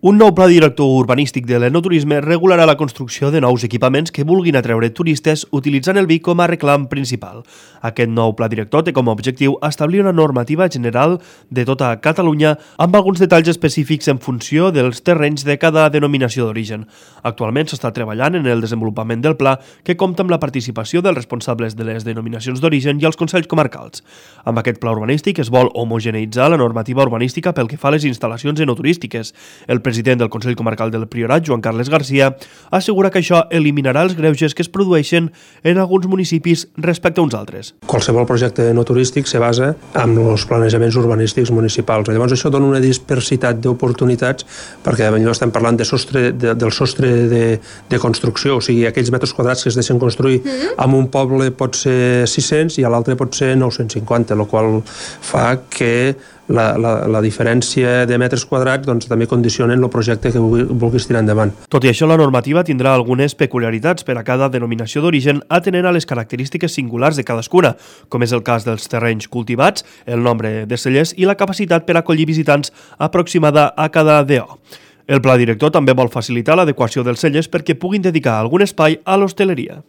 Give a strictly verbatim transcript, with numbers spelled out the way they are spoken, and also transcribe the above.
Un nou pla director urbanístic de l'enoturisme regularà la construcció de nous equipaments que vulguin atreure turistes utilitzant el vi com a reclam principal. Aquest nou pla director té com a objectiu establir una normativa general de tota Catalunya amb alguns detalls específics en funció dels terrenys de cada denominació d'origen. Actualment s'està treballant en el desenvolupament del pla, que compta amb la participació dels responsables de les denominacions d'origen i els consells comarcals. Amb aquest pla urbanístic es vol homogeneïtzar la normativa urbanística pel que fa a les instal·lacions enoturístiques. El president del Consell Comarcal del Priorat, Joan Carles Garcia, assegura que això eliminarà els greuges que es produeixen en alguns municipis respecte a uns altres. Qualsevol projecte no turístic se basa en els planejaments urbanístics municipals. Llavors això dona una dispersitat d'oportunitats perquè potser estem parlant de sostre, de, del sostre de, de construcció, o sigui, aquells metres quadrats que es deixen construir en un poble pot ser sis-cents i a l'altre pot ser nou-cents cinquanta, el qual fa que La, la, la diferència de metres quadrats doncs, també condicionen el projecte que vulguis tirar endavant. Tot i això, la normativa tindrà algunes peculiaritats per a cada denominació d'origen atenent a les característiques singulars de cadascuna, com és el cas dels terrenys cultivats, el nombre de cellers i la capacitat per acollir visitants aproximada a cada D O. El pla director també vol facilitar l'adequació dels cellers perquè puguin dedicar algun espai a l'hostaleria.